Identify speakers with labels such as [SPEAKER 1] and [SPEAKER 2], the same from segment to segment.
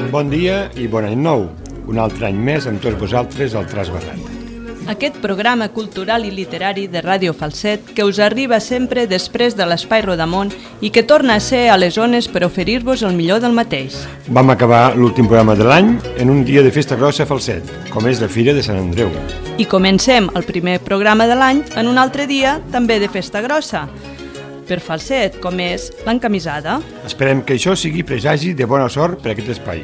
[SPEAKER 1] Bon dia i bon any nou. Un altre any més amb tots vosaltres al Traç Barrat.
[SPEAKER 2] Aquest programa cultural i literari de Ràdio Falset que us arriba sempre després de l'Espai Rodamont i que torna a ser a les zones per oferir-vos el millor del mateix.
[SPEAKER 1] Vam acabar l'últim programa de l'any en un dia de festa grossa a Falset, com és la Fira de Sant Andreu.
[SPEAKER 2] I comencem el primer programa de l'any en un altre dia també de festa grossa, per Falset, com és l'encamisada.
[SPEAKER 1] Esperem que això sigui presagi de bona sort per a aquest espai.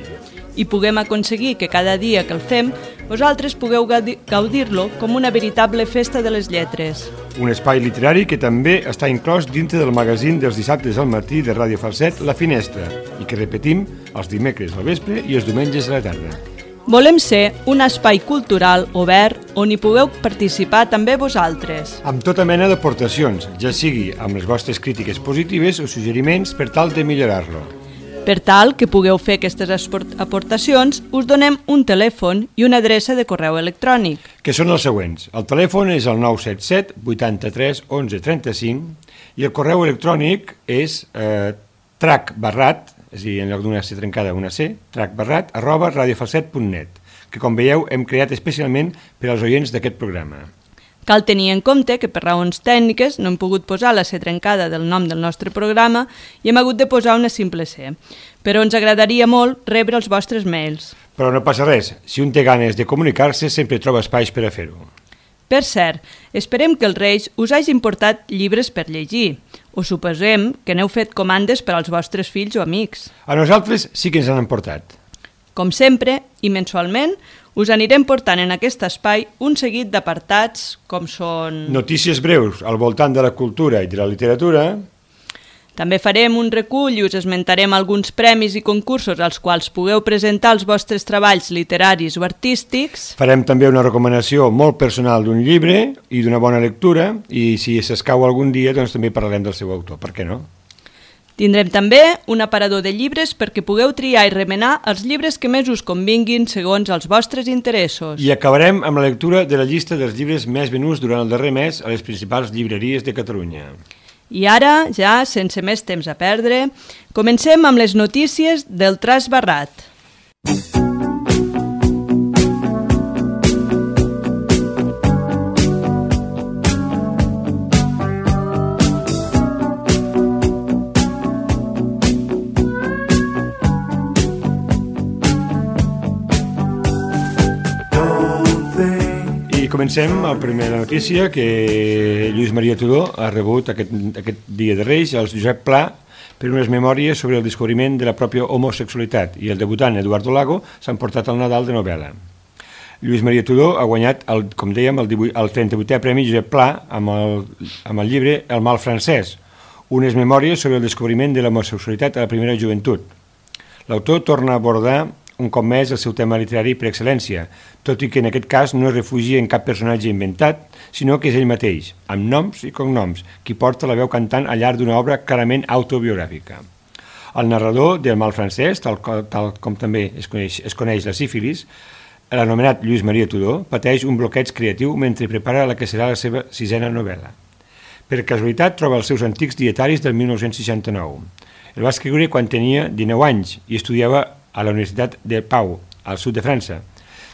[SPEAKER 2] I puguem aconseguir que cada dia que el fem vosaltres pugueu gaudir-lo com una veritable festa de les lletres.
[SPEAKER 1] Un espai literari que també està inclòs dintre del magazín dels dissabtes al matí de Ràdio Falset, La Finestra, i que repetim els dimecres al vespre i els diumenges a la tarda.
[SPEAKER 2] Volem ser un espai cultural obert on hi pugueu participar també vosaltres.
[SPEAKER 1] Amb tota mena d'aportacions, ja sigui amb les vostres crítiques positives o suggeriments per tal de millorar-lo.
[SPEAKER 2] Per tal que pugueu fer aquestes aportacions, us donem un telèfon i una adreça de correu electrònic.
[SPEAKER 1] Que són els següents. El telèfon és el 977 83 11 35 i el correu electrònic és tracbarrat, és a dir, en lloc d'una C trencada una C, tracbarrat@radiofalset.net, que com veieu hem creat especialment per als oients d'aquest programa.
[SPEAKER 2] Cal tenir en compte que per raons tècniques no hem pogut posar la C trencada del nom del nostre programa i hem hagut de posar una simple C, però ens agradaria molt rebre els vostres mails.
[SPEAKER 1] Però no passa res, si un té ganes de comunicar-se sempre troba espais per a fer-ho.
[SPEAKER 2] Per cert, esperem que els Reis us hagin portat llibres per llegir. Us suposem que n'heu fet comandes per als vostres fills o amics.
[SPEAKER 1] A nosaltres sí que ens han portat.
[SPEAKER 2] Com sempre, i mensualment, us anirem portant en aquest espai un seguit d'apartats com són...
[SPEAKER 1] Notícies breus al voltant de la cultura i de la literatura.
[SPEAKER 2] També farem un recull i us esmentarem alguns premis i concursos als quals pugueu presentar els vostres treballs literaris o artístics.
[SPEAKER 1] Farem també una recomanació molt personal d'un llibre i d'una bona lectura i si s'escau algun dia doncs també parlarem del seu autor, per què no?
[SPEAKER 2] Tindrem també un aparador de llibres perquè pugueu triar i remenar els llibres que més us convinguin segons els vostres interessos.
[SPEAKER 1] I acabarem amb la lectura de la llista dels llibres més venuts durant el darrer mes a les principals llibreries de Catalunya.
[SPEAKER 2] I ara, ja, sense més temps a perdre, comencem amb les notícies del Traç Barrat.
[SPEAKER 1] Comencem amb la primera notícia que Lluís Maria Tudó ha rebut aquest dia de Reis al Josep Pla per unes memòries sobre el descobriment de la pròpia homosexualitat i el debutant Eduardo Lago s'han portat al Nadal de novel·la. Lluís Maria Tudó ha guanyat, com dèiem, el 38è Premi Josep Pla amb el llibre El mal francès, unes memòries sobre el descobriment de l'homosexualitat a la primera joventut. L'autor torna a abordar un cop més el seu tema literari per excel·lència, tot i que en aquest cas no es refugia en cap personatge inventat, sinó que és ell mateix, amb noms i cognoms, qui porta la veu cantant al llarg d'una obra clarament autobiogràfica. El narrador del mal francès, tal com també es coneix la sífilis, l'anomenat Lluís Maria Tudó, pateix un bloqueig creatiu mentre prepara la que serà la seva 6a novel·la. Per casualitat troba els seus antics dietaris del 1969. El va escriure quan tenia 19 anys i estudiava a la Universitat de Pau, al sud de França,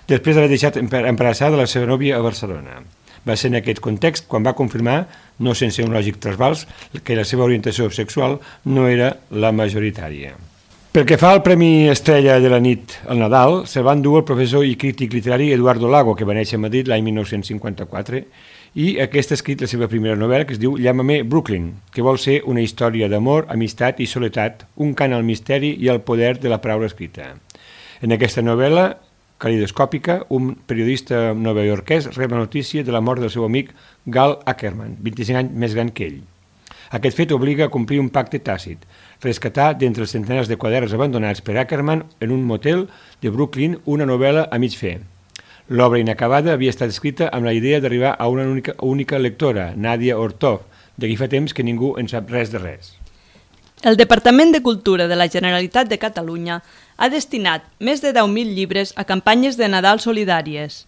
[SPEAKER 1] després d'haver deixat embarassada la seva nòvia a Barcelona. Va ser en aquest context quan va confirmar, no sense un lògic trasbals, que la seva orientació sexual no era la majoritària. Pel que fa al Premi Estrella de la nit al Nadal, se'l va endur el professor i crític literari Eduardo Lago, que va néixer a Madrid l'any 1954, i aquest ha escrit la seva primera novel·la, que es diu Llámame Brooklyn, que vol ser una història d'amor, amistat i soledat, un cant al misteri i al poder de la paraula escrita. En aquesta novel·la calidoscòpica, un periodista novaiorquès rep la notícia de la mort del seu amic Gal Ackerman, 25 anys més gran que ell. Aquest fet obliga a complir un pacte tàcit, rescatar d'entre els centenars de quaderns abandonats per Ackerman en un motel de Brooklyn una novel·la a mig fer. L'obra inacabada havia estat escrita amb la idea d'arribar a una única lectora, Nadia Ortov, d'aquí fa temps que ningú en sap res de res.
[SPEAKER 2] El Departament de Cultura de la Generalitat de Catalunya ha destinat més de 10.000 llibres a campanyes de Nadal solidàries.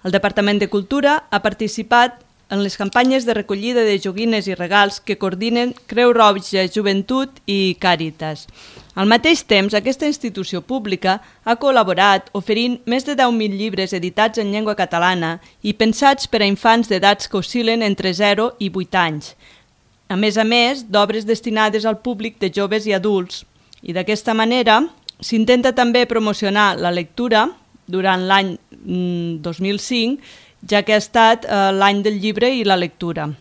[SPEAKER 2] El Departament de Cultura ha participat en les campanyes de recollida de joguines i regals que coordinen Creu Roja Joventut i Càritas. Al mateix temps, aquesta institució pública ha col·laborat oferint més de 10.000 llibres editats en llengua catalana i pensats per a infants d'edats que oscil·len entre 0 i 8 anys, a més d'obres destinades al públic de joves i adults. I d'aquesta manera s'intenta també promocionar la lectura durant l'any 2005, ja que ha estat l'any del llibre i la lectura.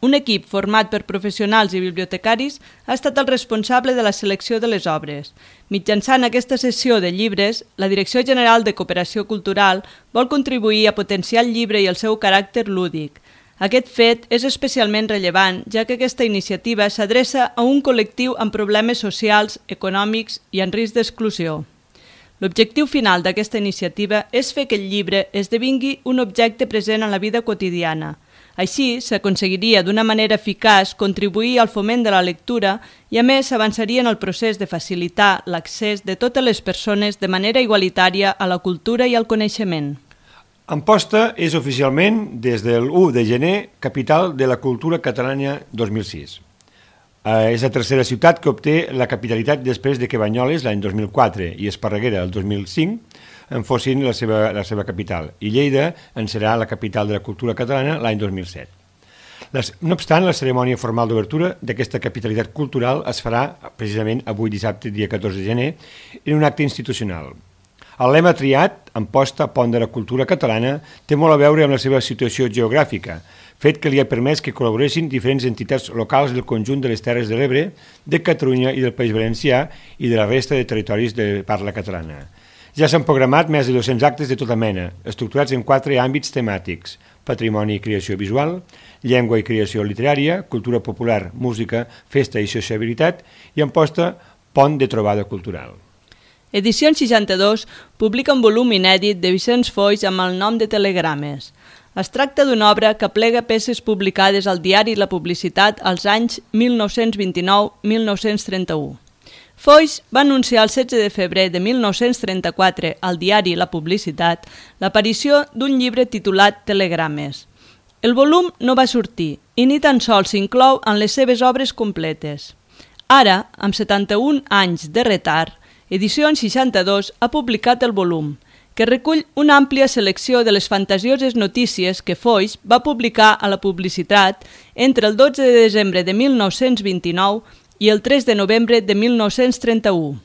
[SPEAKER 2] Un equip format per professionals i bibliotecaris ha estat el responsable de la selecció de les obres. Mitjançant aquesta sessió de llibres, la Direcció General de Cooperació Cultural vol contribuir a potenciar el llibre i el seu caràcter lúdic. Aquest fet és especialment rellevant, ja que aquesta iniciativa s'adreça a un col·lectiu amb problemes socials, econòmics i en risc d'exclusió. L'objectiu final d'aquesta iniciativa és fer que el llibre esdevingui un objecte present en la vida quotidiana. Així, s'aconseguiria d'una manera eficaç contribuir al foment de la lectura i, a més, s'avançaria en el procés de facilitar l'accés de totes les persones de manera igualitària a la cultura i al coneixement.
[SPEAKER 1] Amposta és oficialment, des del 1 de gener, capital de la cultura catalana 2006. És la tercera ciutat que obté la capitalitat després de que Banyoles, l'any 2004, i Esparreguera, el 2005, en fossin la seva capital, i Lleida en serà la capital de la cultura catalana l'any 2007. No obstant, la cerimònia formal d'obertura d'aquesta capitalitat cultural es farà precisament avui dissabte, dia 14 de gener, en un acte institucional. El lema triat, Amposta, pont de la cultura catalana, té molt a veure amb la seva situació geogràfica, fet que li ha permès que col·laboressin diferents entitats locals del conjunt de les Terres de l'Ebre, de Catalunya i del País Valencià i de la resta de territoris de parla catalana. Ja s'han programat més de 200 actes de tota mena, estructurats en 4 àmbits temàtics: patrimoni i creació visual, llengua i creació literària, cultura popular, música, festa i sociabilitat, i Amposta, pont de trobada cultural.
[SPEAKER 2] Edicions 62 publica un volum inèdit de Vicenç Foix amb el nom de Telegrames. Es tracta d'una obra que plega peces publicades al diari La Publicitat als anys 1929-1931. Foix va anunciar el 16 de febrer de 1934 al diari La Publicitat l'aparició d'un llibre titulat Telegrames. El volum no va sortir i ni tan sols s'inclou en les seves obres completes. Ara, amb 71 anys de retard, Edicions 62 ha publicat el volum, que recull una àmplia selecció de les fantasioses notícies que Foix va publicar a La Publicitat entre el 12 de desembre de 1929 i el 3 de novembre de 1931.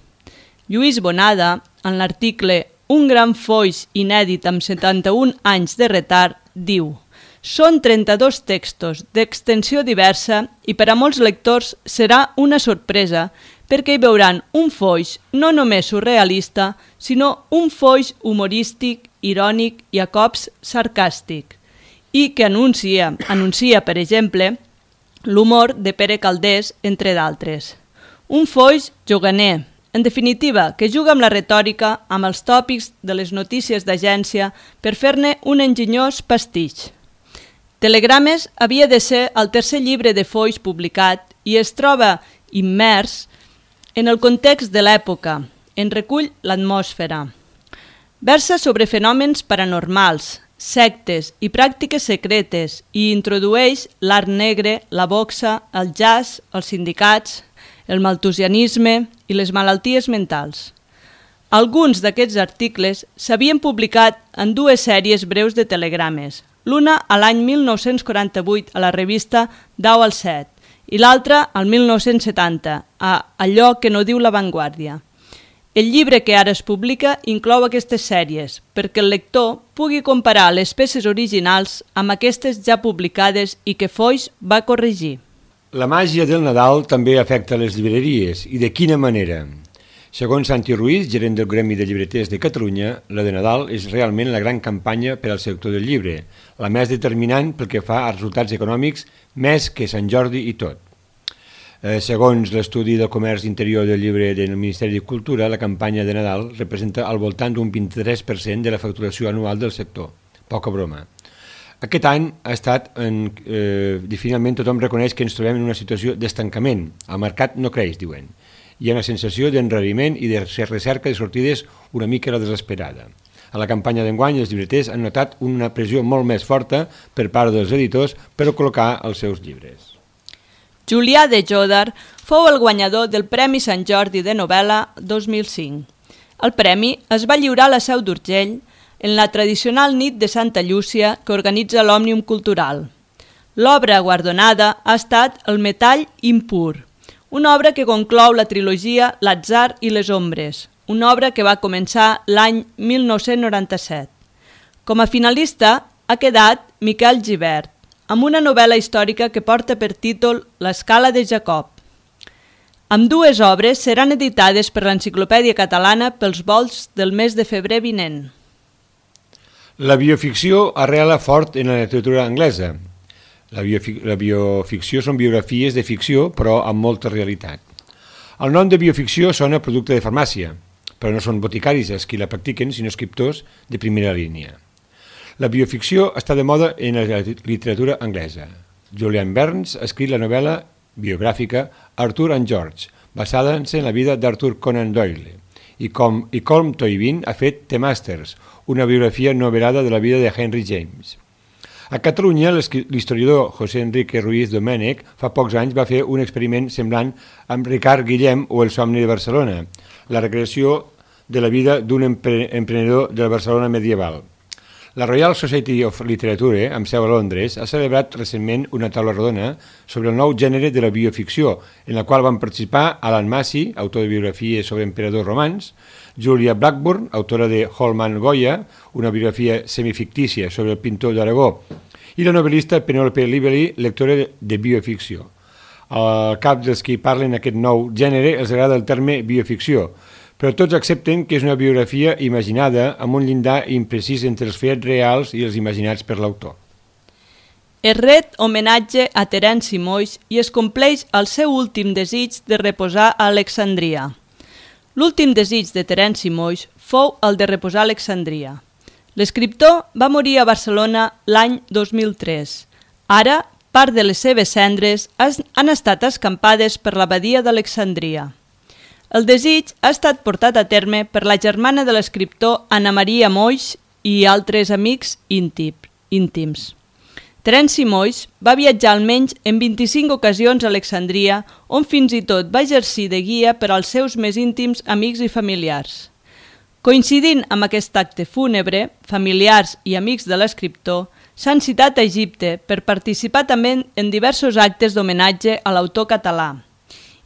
[SPEAKER 2] Lluís Bonada, en l'article Un gran Foix inèdit amb 71 anys de retard, diu: són 32 textos d'extensió diversa i per a molts lectors serà una sorpresa perquè hi veuran un Foix no només surrealista, sinó un Foix humorístic, irònic i a cops sarcàstic, i que anuncia, per exemple, l'humor de Pere Calders, entre d'altres. Un Foix juganer, en definitiva, que juga amb la retòrica, amb els tòpics de les notícies d'agència per fer-ne un enginyós pastitx. Telegrames havia de ser el tercer llibre de Foix publicat i es troba immers en el context de l'època, en recull l'atmosfera. Versa sobre fenòmens paranormals, sectes i pràctiques secretes i introdueix l'art negre, la boxa, el jazz, els sindicats, el maltusianisme i les malalties mentals. Alguns d'aquests articles s'havien publicat en 2 sèries breus de telegrames, l'una a l'any 1948 a la revista Dau al Set i l'altra al 1970 a Allò que no diu La Vanguardia. El llibre que ara es publica inclou aquestes sèries perquè el lector pugui comparar les peces originals amb aquestes ja publicades i que Foix va corregir.
[SPEAKER 1] La màgia del Nadal també afecta les llibreries, i de quina manera? Segons Santi Ruiz, gerent del Gremi de Llibreters de Catalunya, la de Nadal és realment la gran campanya per al sector del llibre, la més determinant pel que fa als resultats econòmics, més que Sant Jordi i tot. Segons l'estudi del comerç interior del llibre del Ministeri de Cultura, la campanya de Nadal representa al voltant d'un 23% de la facturació anual del sector. Poca broma. Aquest any ha estat finalment tothom reconeix que ens trobem en una situació d'estancament. El mercat no creix, diuen. Hi ha una sensació d'enrariment i de recerca de sortides una mica la desesperada. A la campanya d'enguany els llibreters han notat una pressió molt més forta per part dels editors per col·locar els seus llibres.
[SPEAKER 2] Julià de Jòdar fou el guanyador del Premi Sant Jordi de novel·la 2005. El premi es va lliurar a la Seu d'Urgell en la tradicional nit de Santa Llúcia que organitza l'Òmnium Cultural. L'obra guardonada ha estat El metall impur, una obra que conclou la trilogia L'atzar i les ombres, una obra que va començar l'any 1997. Com a finalista ha quedat Miquel Gibert, amb una novel·la històrica que porta per títol L'escala de Jacob. Ambdues obres seran editades per l'Enciclopèdia Catalana pels volts del mes de febrer vinent.
[SPEAKER 1] La bioficció arrela fort en la literatura anglesa. La bioficció són biografies de ficció, però amb molta realitat. El nom de bioficció sona producte de farmàcia, però no són boticaris els qui la practiquen, sinó escriptors de primera línia. La bioficció està de moda en la literatura anglesa. Julian Barnes ha escrit la novel·la biogràfica Arthur and George, basada-se en la vida d'Arthur Conan Doyle, i Colm Toivin ha fet The Masters, una biografia novel·lada de la vida de Henry James. A Catalunya, l'historiador José Enrique Ruiz Domènech fa pocs anys va fer un experiment semblant amb Ricard Guillem o El somni de Barcelona, la recreació de la vida d'un emprenedor de la Barcelona medieval. La Royal Society of Literature, amb seu a Londres, ha celebrat recentment una taula rodona sobre el nou gènere de la bioficció, en la qual van participar Alan Massey, autor de biografies sobre emperadors romans, Julia Blackburn, autora de Holman Goya, una biografia semifictícia sobre el pintor d'Aragó, i la novel·lista Penelope Lively, lectora de bioficció. Al cap dels que parlen aquest nou gènere els agrada el terme bioficció, però tots accepten que és una biografia imaginada amb un llindar imprecís entre els fets reals i els imaginats per l'autor.
[SPEAKER 2] Es ret homenatge a Terenci Moix i es compleix el seu últim desig de reposar a Alexandria. L'últim desig de Terenci Moix fou el de reposar a Alexandria. L'escriptor va morir a Barcelona l'any 2003. Ara, part de les seves cendres han estat escampades per l'abadia d'Alexandria. El desig ha estat portat a terme per la germana de l'escriptor Anna Maria Moix i altres amics íntims. Terenci Moix va viatjar almenys en 25 ocasions a Alexandria, on fins i tot va exercir de guia per als seus més íntims amics i familiars. Coincidint amb aquest acte fúnebre, familiars i amics de l'escriptor s'han citat a Egipte per participar també en diversos actes d'homenatge a l'autor català,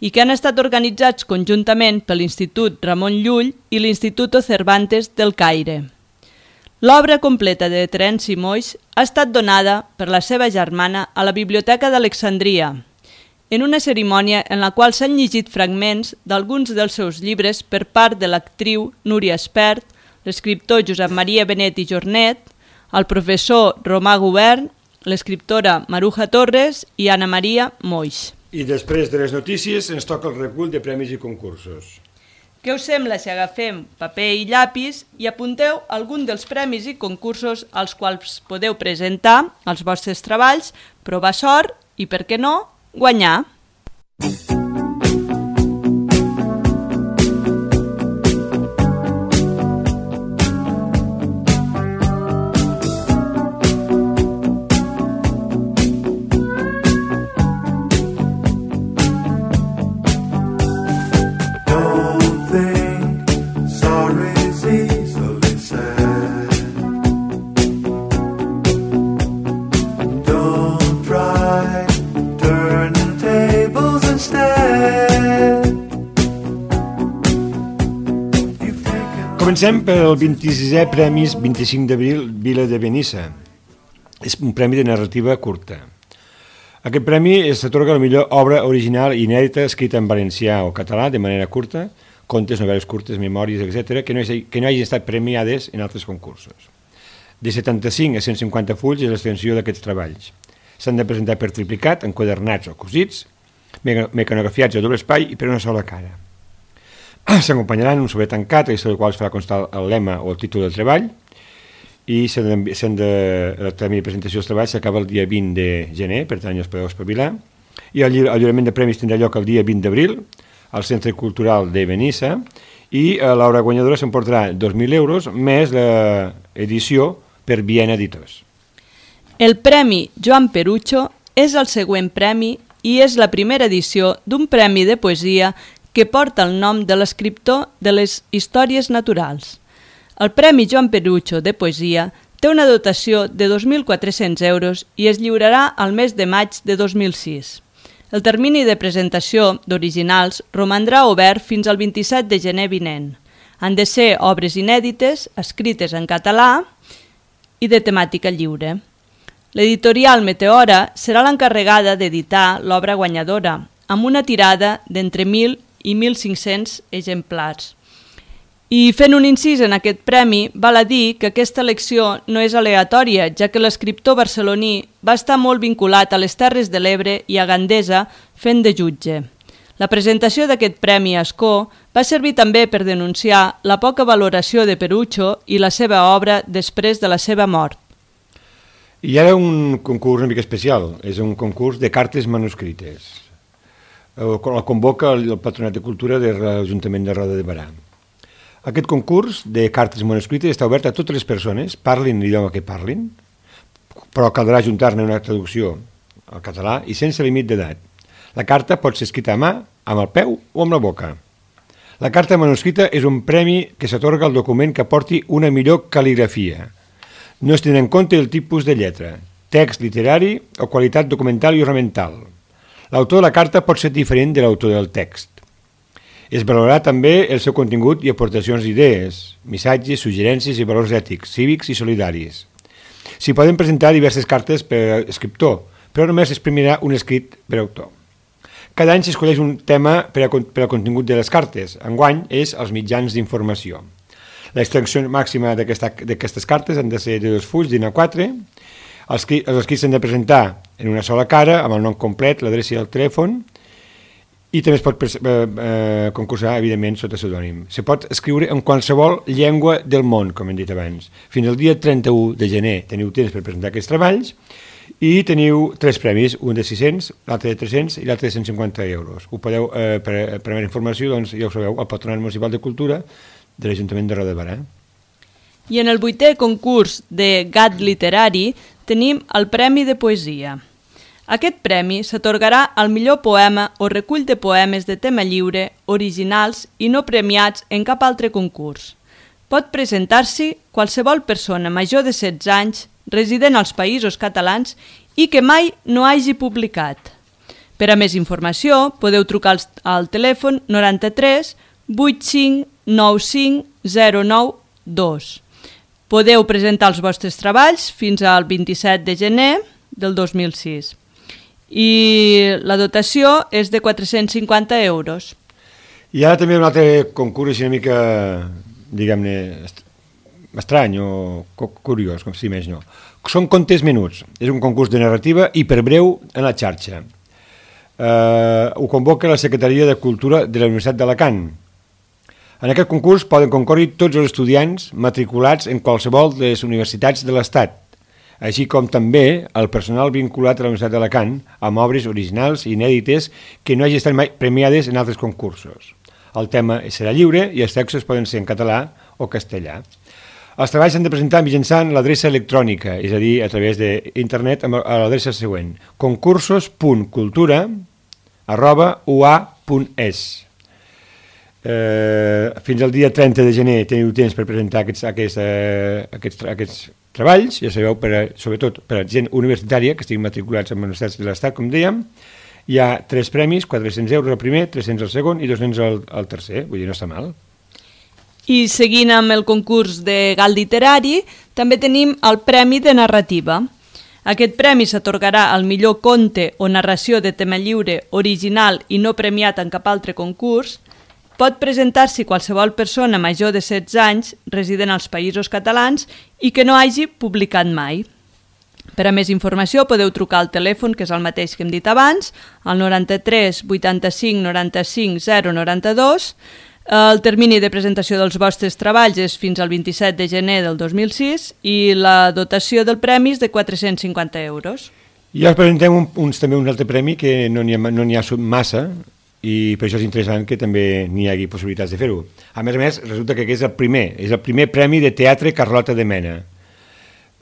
[SPEAKER 2] i que han estat organitzats conjuntament per l'Institut Ramon Llull i l'Instituto Cervantes del Caire. L'obra completa de Terenci Moix ha estat donada per la seva germana a la Biblioteca d'Alexandria, en una cerimònia en la qual s'han llegit fragments d'alguns dels seus llibres per part de l'actriu Núria Espert, l'escriptor Josep Maria Benet i Jornet, el professor Romà Govern, l'escriptora Maruja Torres i Anna Maria Moix.
[SPEAKER 1] I després de les notícies ens toca el recull de premis i concursos.
[SPEAKER 2] Què us sembla si agafem paper i llapis i apunteu algun dels premis i concursos als quals podeu presentar els vostres treballs, provar sort i, per què no, guanyar?
[SPEAKER 1] Comencem pel 26è Premis 25 d'abril Vila de Benissa. És un premi de narrativa curta. Aquest premi s'atorga la millor obra original i inèdita escrita en valencià o català de manera curta, contes, novel·les curtes, memòries, etc., que no hagin estat premiades en altres concursos. De 75 a 150 fulls és l'extensió d'aquests treballs. S'han de presentar per triplicat, enquadernats o cosits, mecanografiats a doble espai i per una sola cara. S'acompanyaran un sobre tancat, a del qual es farà constar el lema o el títol del treball, i el termini de presentació dels treballs s'acaba el dia 20 de gener, per tant ja es podeu espavilar, i el lliurament de premis tindrà lloc el dia 20 d'abril al Centre Cultural de Benissa, i l'obra guanyadora s'emportarà 2.000 euros més l'edició per Viena Editors.
[SPEAKER 2] El Premi Joan Perucho és el següent premi i és la primera edició d'un premi de poesia que porta el nom de l'escriptor de les històries naturals. El Premi Joan Perucho de poesia té una dotació de 2.400 euros i es lliurarà al mes de maig de 2006. El termini de presentació d'originals romandrà obert fins al 27 de gener vinent. Han de ser obres inèdites, escrites en català i de temàtica lliure. L'editorial Meteora serà l'encarregada d'editar l'obra guanyadora, amb una tirada d'entre 1.000 i 1.500 exemplars. I fent un incís en aquest premi, val a dir que aquesta elecció no és aleatòria, ja que l'escriptor barceloní va estar molt vinculat a les Terres de l'Ebre i a Gandesa fent de jutge. La presentació d'aquest premi a Ascó va servir també per denunciar la poca valoració de Perucho i la seva obra després de la seva mort.
[SPEAKER 1] I ara un concurs una mica especial, és un concurs de cartes manuscrites. El convoca el Patronat de Cultura de l'Ajuntament de Roda de Berà. Aquest concurs de cartes manuscrites està obert a totes les persones, parlin l'idioma que parlin, però caldrà ajuntar-ne una traducció al català i sense límit d'edat. La carta pot ser escrita a mà, amb el peu o amb la boca. La carta manuscrita és un premi que s'atorga al document que aporti una millor cal·ligrafia. No es tenen en compte el tipus de lletra, text literari o qualitat documental i ornamental. L'autor de la carta pot ser diferent de l'autor del text. Es valorarà també el seu contingut i aportacions d'idees, missatges, suggerències i valors ètics, cívics i solidaris. S'hi poden presentar diverses cartes per escriptor, però només es premiarà un escrit per autor. Cada any s'escolleix un tema per al contingut de les cartes. Enguany és els mitjans d'informació. L'extensió màxima d'aquestes cartes han de ser de 2 fulls d'A4. Els escrits s'han de presentar en una sola cara, amb el nom complet, l'adreça i el telèfon, i també es pot concursar, evidentment, sota pseudònim. Se pot escriure en qualsevol llengua del món, com hem dit abans. Fins al dia 31 de gener teniu temps per presentar aquests treballs i teniu 3 premis, un de 600, l'altre de 300 i l'altre de 150 euros. Ho podeu, per més informació, doncs, ja ho sabeu, al Patronat Municipal de Cultura de l'Ajuntament de Roda de Berà.
[SPEAKER 2] I en el 8è concurs de Gat Literari tenim el Premi de Poesia. Aquest premi s'atorgarà al millor poema o recull de poemes de tema lliure, originals i no premiats en cap altre concurs. Pot presentar-s'hi qualsevol persona major de 16 anys, resident als Països Catalans i que mai no hagi publicat. Per a més informació, podeu trucar al telèfon 93 85 95 092. Podeu presentar els vostres treballs fins al 27 de gener del 2006. I la dotació és de 450 euros.
[SPEAKER 1] I ara també un altre concurs una mica, diguem-ne, estrany o curiós, com si més no. Són contes menuts. És un concurs de narrativa hiperbreu en la xarxa. Ho convoca la Secretaria de Cultura de la Universitat d'Alacant. En aquest concurs poden concórrer tots els estudiants matriculats en qualsevol de les universitats de l'Estat, així com també el personal vinculat a la Universitat d'Alacant amb obres originals i inèdites que no hagi estat mai premiades en altres concursos. El tema serà lliure i els textos poden ser en català o castellà. Els treballs s'han de presentar mitjançant l'adreça electrònica, és a dir, a través d'internet a l'adreça següent: concursos.cultura@ua.es. Fins al dia 30 de gener teniu temps per presentar aquests treballs, ja sabeu, sobretot per a gent universitària que estiguin matriculats en universitats de l'Estat, com dèiem. Hi ha 3 premis, 400 euros al primer, 300 al segon i 200 al tercer, vull dir, no està mal.
[SPEAKER 2] I seguint amb el concurs de Gat Literari, també tenim el Premi de Narrativa. Aquest premi s'atorgarà al millor conte o narració de tema lliure, original i no premiat en cap altre concurs. Pot presentar-s'hi qualsevol persona major de 16 anys, resident als Països Catalans i que no hagi publicat mai. Per a més informació podeu trucar al telèfon, que és el mateix que hem dit abans, al 93 85 95 092. El termini de presentació dels vostres treballs és fins al 27 de gener del 2006 i la dotació del premi és de 450 euros.
[SPEAKER 1] I us presentem també un altre premi que no n'hi ha massa, i per això és interessant que també n'hi hagi possibilitats de fer-ho. A més, resulta que és el primer premi de teatre Carlota de Mena.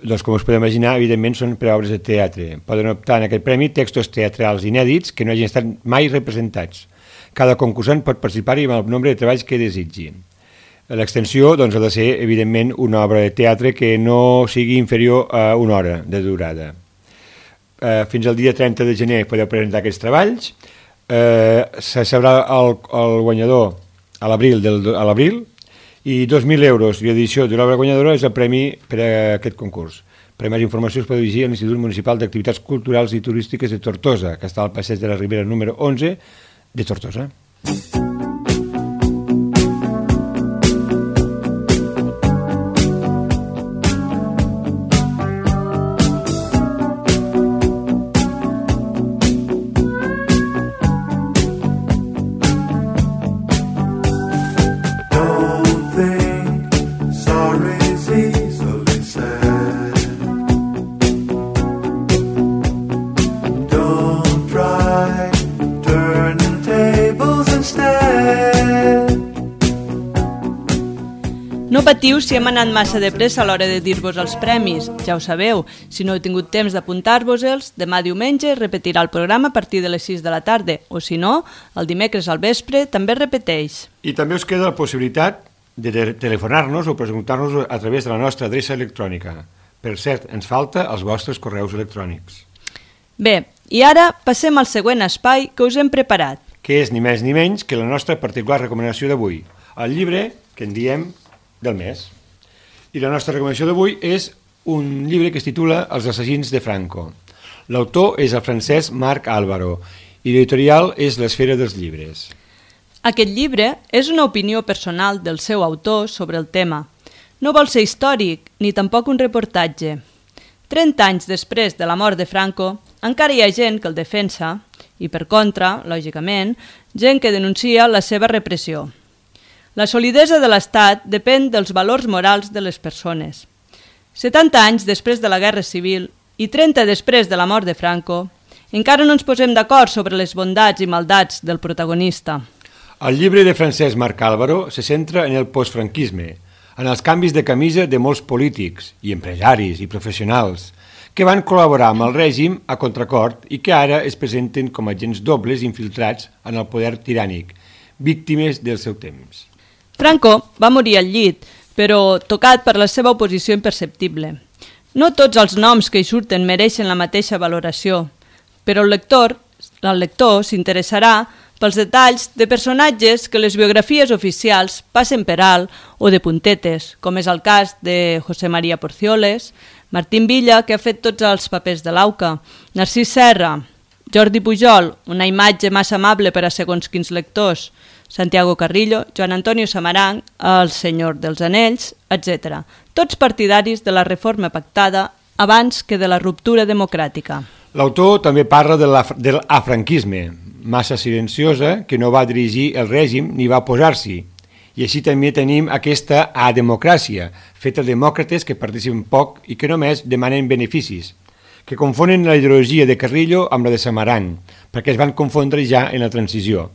[SPEAKER 1] Doncs, com us podeu imaginar, evidentment són per a obres de teatre. Poden optar en aquest premi textos teatrals inèdits que no hagin estat mai representats. Cada concursant pot participar-hi amb el nombre de treballs que desitgi. L'extensió doncs, ha de ser, evidentment, una obra de teatre que no sigui inferior a una hora de durada. Fins al dia 30 de gener podeu presentar aquests treballs. Se sabrà el guanyador a l'abril i 2.000 euros i l'edició de l'obra guanyadora és el premi per a aquest concurs. Per a més informació us podeu dirigir a l'Institut Municipal d'Activitats Culturals i Turístiques de Tortosa, que està al passeig de la Ribera número 11 de Tortosa.
[SPEAKER 2] No patiu si hem anat massa de pressa a l'hora de dir-vos els premis, ja ho sabeu. Si no heu tingut temps d'apuntar-vos-els, demà diumenge repetirà el programa a partir de les 6 de la tarda, o si no, el dimecres al vespre també repeteix.
[SPEAKER 1] I també us queda la possibilitat de telefonar-nos o preguntar-nos a través de la nostra adreça electrònica. Per cert, ens falta els vostres correus electrònics.
[SPEAKER 2] Bé, i ara passem al següent espai que us hem preparat.
[SPEAKER 1] Que és ni més ni menys que la nostra particular recomanació d'avui, el llibre que en diem del mes. I la nostra recomanació d'avui és un llibre que es titula Els assassins de Franco. L'autor és el francès Marc Álvaro i l'editorial és l'Esfera dels Llibres.
[SPEAKER 2] Aquest llibre és una opinió personal del seu autor sobre el tema. No vol ser històric ni tampoc un reportatge. 30 anys després de la mort de Franco, encara hi ha gent que el defensa i, per contra, lògicament, gent que denuncia la seva repressió. La solidesa de l'Estat depèn dels valors morals de les persones. 70 anys després de la Guerra Civil i 30 després de la mort de Franco, encara no ens posem d'acord sobre les bondats i maldats del protagonista.
[SPEAKER 1] El llibre de Francesc Marc Álvaro se centra en el postfranquisme, en els canvis de camisa de molts polítics i empresaris i professionals que van col·laborar amb el règim a contracort i que ara es presenten com agents dobles infiltrats en el poder tirànic, víctimes del seu temps.
[SPEAKER 2] Franco va morir al llit, però tocat per la seva oposició imperceptible. No tots els noms que hi surten mereixen la mateixa valoració, però el lector s'interessarà pels detalls de personatges que les biografies oficials passen per alt o de puntetes, com és el cas de José María Porcioles, Martín Villa, que ha fet tots els papers de l'AUCA, Narcís Serra, Jordi Pujol, una imatge massa amable per a segons quins lectors, Santiago Carrillo, Joan Antonio Samaranch, el Senyor dels Anells, etc. Tots partidaris de la reforma pactada abans que de la ruptura democràtica.
[SPEAKER 1] L'autor també parla de l'afranquisme, massa silenciosa, que no va dirigir el règim ni va oposar-s'hi. I així també tenim aquesta ademocràcia, feta de demòcrates que participen poc i que només demanen beneficis, que confonen la ideologia de Carrillo amb la de Samaranch, perquè es van confondre ja en la transició.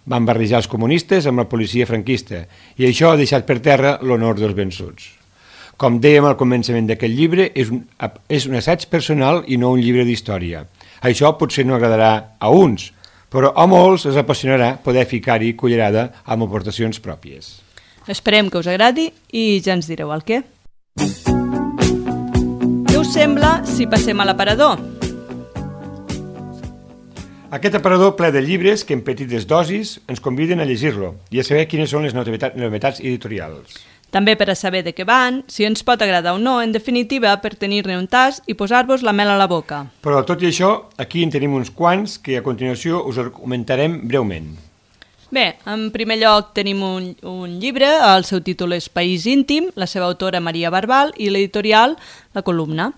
[SPEAKER 1] Van barrejar els comunistes amb la policia franquista i això ha deixat per terra l'honor dels vençuts. Com dèiem al començament d'aquest llibre, és un assaig personal i no un llibre d'història. Això potser no agradarà a uns, però a molts els apassionarà poder ficar-hi cullerada amb aportacions pròpies.
[SPEAKER 2] Esperem que us agradi i ja ens direu el què. Què us sembla si passem a l'aparador?
[SPEAKER 1] Aquest aparador ple de llibres que en petites dosis ens conviden a llegir-lo i a saber quines són les novetats editorials.
[SPEAKER 2] També per a saber de què van, si ens pot agradar o no, en definitiva per tenir-ne un tas i posar-vos la mel a la boca.
[SPEAKER 1] Però tot i això, aquí en tenim uns quants que a continuació us comentarem breument.
[SPEAKER 2] Bé, en primer lloc tenim un llibre, el seu títol és País íntim, la seva autora Maria Barbal i l'editorial La Columna.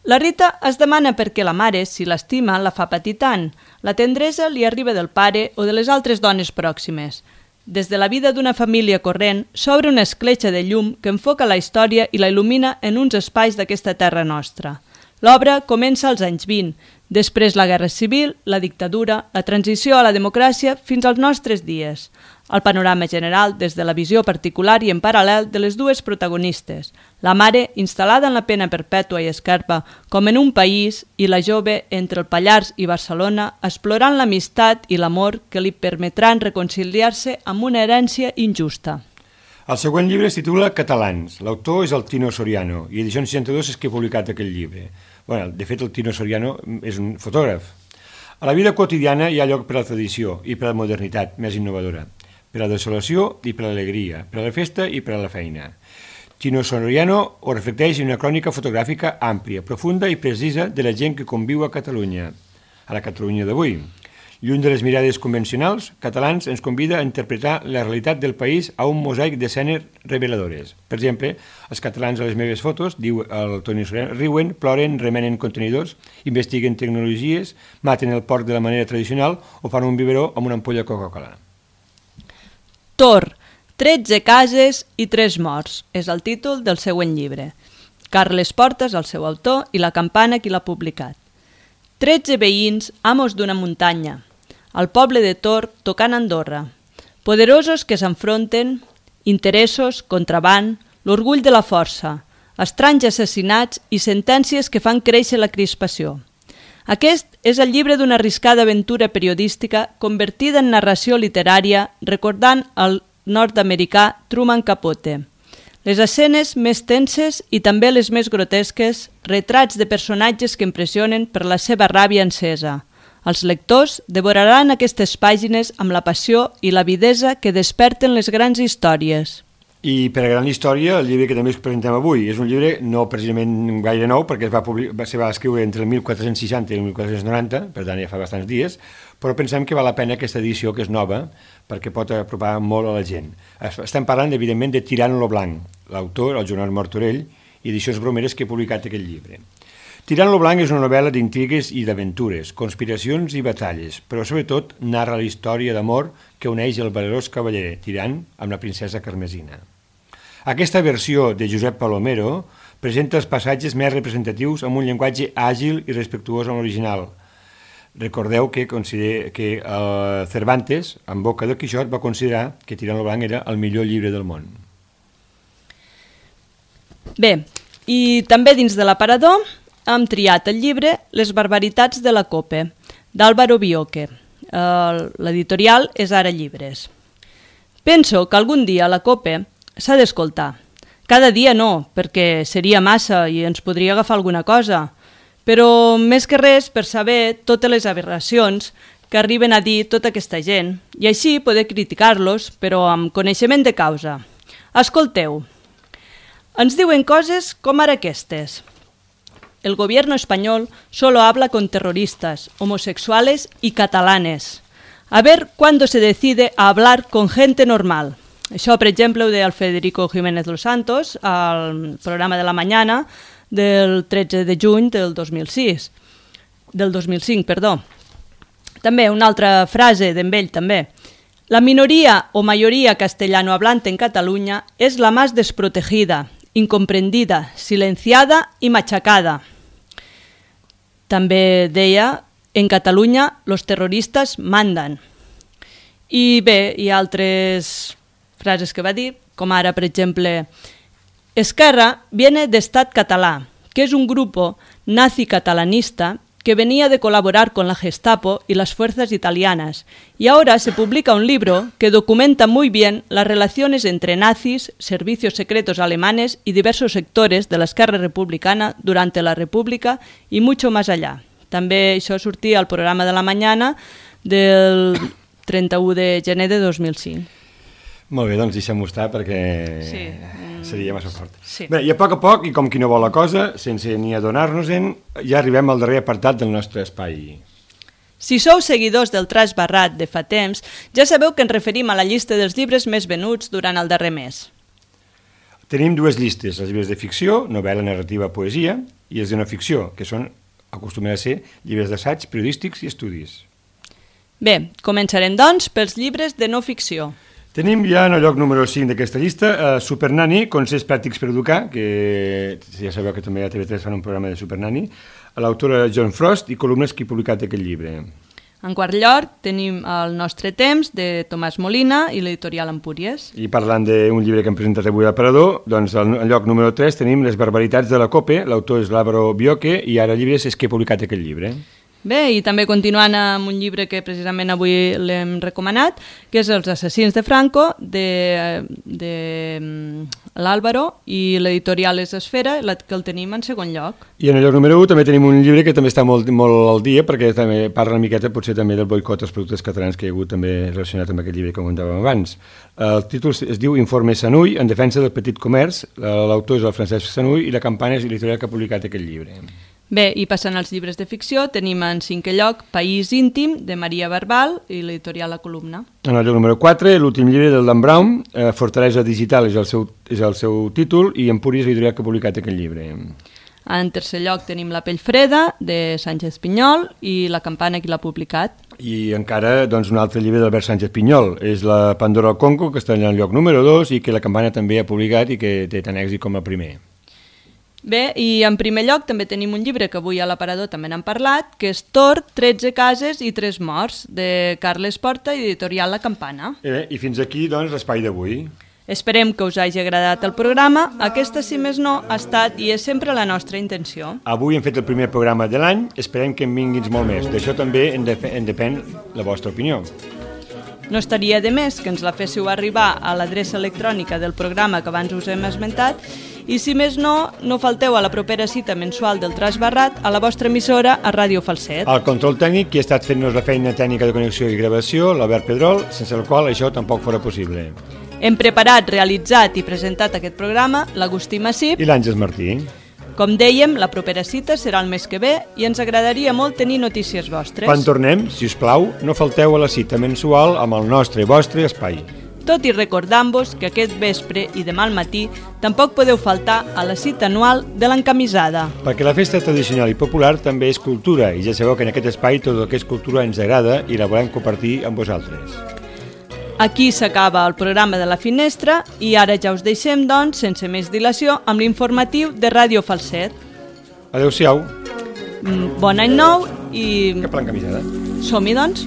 [SPEAKER 2] La Rita es demana per què la mare, si l'estima, la fa patir tant. La tendresa li arriba del pare o de les altres dones pròximes. Des de la vida d'una família corrent s'obre una escletxa de llum que enfoca la història i la il·lumina en uns espais d'aquesta terra nostra. L'obra comença als anys 20, després la Guerra Civil, la dictadura, la transició a la democràcia fins als nostres dies. El panorama general des de la visió particular i en paral·lel de les dues protagonistes, la mare instal·lada en la pena perpètua i escarpa com en un país i la jove entre el Pallars i Barcelona explorant l'amistat i l'amor que li permetran reconciliar-se amb una herència injusta.
[SPEAKER 1] El següent llibre es titula Catalans. L'autor és el Tino Soriano i Edicions 62 és qui ha publicat aquest llibre. De fet, el Tino Soriano és un fotògraf. A la vida quotidiana hi ha lloc per a la tradició i per a la modernitat més innovadora, per a la desolació i per a l'alegria, per a la festa i per a la feina. Tino Soriano ho reflecteix en una crònica fotogràfica àmplia, profunda i precisa de la gent que conviu a Catalunya, a la Catalunya d'avui. Lluny de les mirades convencionals, Catalans ens convida a interpretar la realitat del país a un mosaic d'escenes reveladores. Per exemple, els catalans a les meves fotos, diu el Toni Soriano, riuen, ploren, remenen contenidors, investiguen tecnologies, maten el porc de la manera tradicional o fan un biberó amb una ampolla Coca-Cola.
[SPEAKER 2] Tor, 13 cases i 3 morts, és el títol del següent llibre. Carles Portas, el seu autor, i La Campana, qui l'ha publicat. 13 veïns, amos d'una muntanya. El poble de Tor tocant Andorra. Poderosos que s'enfronten, interessos, contraband, l'orgull de la força, estranys assassinats i sentències que fan créixer la crispació. Aquest és el llibre d'una arriscada aventura periodística convertida en narració literària recordant el nord-americà Truman Capote. Les escenes més tenses i també les més grotesques, retrats de personatges que impressionen per la seva ràbia encesa. Els lectors devoraran aquestes pàgines amb la passió i l'avidesa que desperten les grans històries.
[SPEAKER 1] I per a gran història, el llibre que també us presentem avui és un llibre no precisament gaire nou, perquè se va escriure entre el 1460 i el 1490, per tant ja fa bastants dies, però pensem que val la pena aquesta edició, que és nova, perquè pot apropar molt a la gent. Estem parlant, evidentment, de Tirant lo Blanc, l'autor, el Joan Martorell, i Edicions Bromeres, que ha publicat aquest llibre. Tirant lo Blanc és una novel·la d'intrigues i d'aventures, conspiracions i batalles, però sobretot narra la història d'amor que uneix el valerós cavaller Tirant amb la princesa Carmesina. Aquesta versió de Josep Palomero presenta els passatges més representatius amb un llenguatge àgil i respectuós amb l'original. Recordeu que Cervantes, en boca del Quixot, va considerar que Tirant lo Blanc era el millor llibre del món.
[SPEAKER 2] Bé, i també dins de l'aparador hem triat el llibre Les barbaritats de la Cope, d'Álvaro Bioque. L'editorial és Ara Llibres. Penso que algun dia la Cope s'ha d'escoltar. Cada dia no, perquè seria massa i ens podria agafar alguna cosa, però més que res per saber totes les aberracions que arriben a dir tota aquesta gent i així poder criticar-los, però amb coneixement de causa. Escolteu, ens diuen coses com ara aquestes. El gobierno español solo habla con terroristas, homosexuales y catalanes. A ver cuándo se decide a hablar con gente normal. Això, per exemple, ho deia el Federico Jiménez Los Santos al programa de la Mañana del 13 de juny del 2005, perdó. També una altra frase d'ell també. La minoría o mayoría castellano hablante en Cataluña es la más desprotegida, incomprendida, silenciada y machacada. També deia, en Catalunya los terroristas mandan. I bé, hi ha altres frases que va dir, com ara, per exemple, Esquerra viene de Estat Català, que es un grupo nazi-catalanista que venía de colaborar con la Gestapo y las fuerzas italianas, y ahora se publica un libro que documenta muy bien las relaciones entre nazis, servicios secretos alemanes y diversos sectores de la Esquerra Republicana durante la República y mucho más allá. També això sortia al programa de la Mañana del 31 de gener de 2005.
[SPEAKER 1] Molt bé, doncs deixem-ho estar perquè seria massa fort.
[SPEAKER 2] Sí.
[SPEAKER 1] Bé, i a poc, i com qui no vol la cosa, sense ni adonar-nos-en, ja arribem al darrer apartat del nostre espai.
[SPEAKER 2] Si sou seguidors del Traç Barrat de fa temps, ja sabeu que ens referim a la llista dels llibres més venuts durant el darrer mes.
[SPEAKER 1] Tenim dues llistes, els llibres de ficció, novel·la, narrativa, poesia, i els de no ficció, que acostumen a ser llibres d'assaig, periodístics i estudis.
[SPEAKER 2] Bé, començarem doncs pels llibres de no ficció.
[SPEAKER 1] Tenim ja en el lloc número 5 d'aquesta llista Super Nanny, consells pràctics per educar, que ja sabeu que també a TV3 fan un programa de Super Nanny, l'autora John Frost i columnes que ha publicat aquest llibre.
[SPEAKER 2] En quart lloc tenim El nostre temps, de Tomàs Molina i l'editorial Empúries.
[SPEAKER 1] I parlant d'un llibre que hem presentat avui al Parador, doncs al lloc número 3 tenim Les barbaritats de la COPE, l'autor és l'Àlvaro Bioque i ara llibres és que ha publicat aquest llibre.
[SPEAKER 2] Bé, i també continuant amb un llibre que precisament avui l'hem recomanat, que és Els assassins de Franco, de l'Àlvaro, i l'editorial és Esfera, que el tenim en segon lloc.
[SPEAKER 1] I en el lloc número 1 també tenim un llibre que també està molt al dia, perquè també parla una miqueta potser també del boicot als productes catalans que hi ha hagut també relacionat amb aquest llibre que comentàvem abans. El títol es diu Informe Sanuy, en defensa del petit comerç, l'autor és el Francesc Sanuy i la Campana és l'editorial que ha publicat aquest llibre.
[SPEAKER 2] Bé, i passant als llibres de ficció, tenim en cinquè lloc País íntim, de Maria Barbal i l'editorial La Columna.
[SPEAKER 1] En el lloc número 4, l'últim llibre del Dan Brown, Fortalesa Digital és el seu títol i Empúries l'editorial que ha publicat aquest llibre.
[SPEAKER 2] En tercer lloc tenim La pell freda, de Sánchez Pinyol, i La campana, qui l'ha publicat.
[SPEAKER 1] I encara doncs, un altre llibre d'Albert Sánchez Pinyol, és La Pandora al Congo, que està en el lloc número 2 i que La campana també ha publicat i que té tant èxit com el primer.
[SPEAKER 2] Bé, i en primer lloc també tenim un llibre que avui a l'Aparador també n'han parlat, que és Tor, 13 cases i 3 morts, de Carles Porta i editorial La Campana.
[SPEAKER 1] I fins aquí, doncs, l'espai d'avui.
[SPEAKER 2] Esperem que us hagi agradat el programa. Aquesta, si més no, ha estat i és sempre la nostra intenció.
[SPEAKER 1] Avui hem fet el primer programa de l'any, esperem que en vinguin molt més. D'això també en depèn la vostra opinió.
[SPEAKER 2] No estaria de més que ens la féssiu arribar a l'adreça electrònica del programa que abans us hem esmentat i, si més no, no falteu a la propera cita mensual del Traç Barrat a la vostra emissora a Ràdio Falset.
[SPEAKER 1] El control tècnic, qui ha estat fent-nos la feina tècnica de connexió i gravació, l'Albert Pedrol, sense el qual això tampoc fora possible.
[SPEAKER 2] Hem preparat, realitzat i presentat aquest programa l'Agustí Massip
[SPEAKER 1] i l'Àngels Martí.
[SPEAKER 2] Com dèiem, la propera cita serà el mes que ve i ens agradaria molt tenir notícies vostres.
[SPEAKER 1] Quan tornem, si us plau, no falteu a la cita mensual amb el nostre i vostre espai.
[SPEAKER 2] Tot i recordant-vos que aquest vespre i demà al matí tampoc podeu faltar a la cita anual de l'encamisada.
[SPEAKER 1] Perquè la festa tradicional i popular també és cultura i ja sabeu que en aquest espai tot el que és cultura ens agrada i la volem compartir amb vosaltres.
[SPEAKER 2] Aquí s'acaba el programa de La Finestra i ara ja us deixem, doncs, sense més dilació, amb l'informatiu de Ràdio Falset.
[SPEAKER 1] Adéu-siau.
[SPEAKER 2] Bon any nou i...
[SPEAKER 1] Que plan camisada.
[SPEAKER 2] Som-hi, doncs.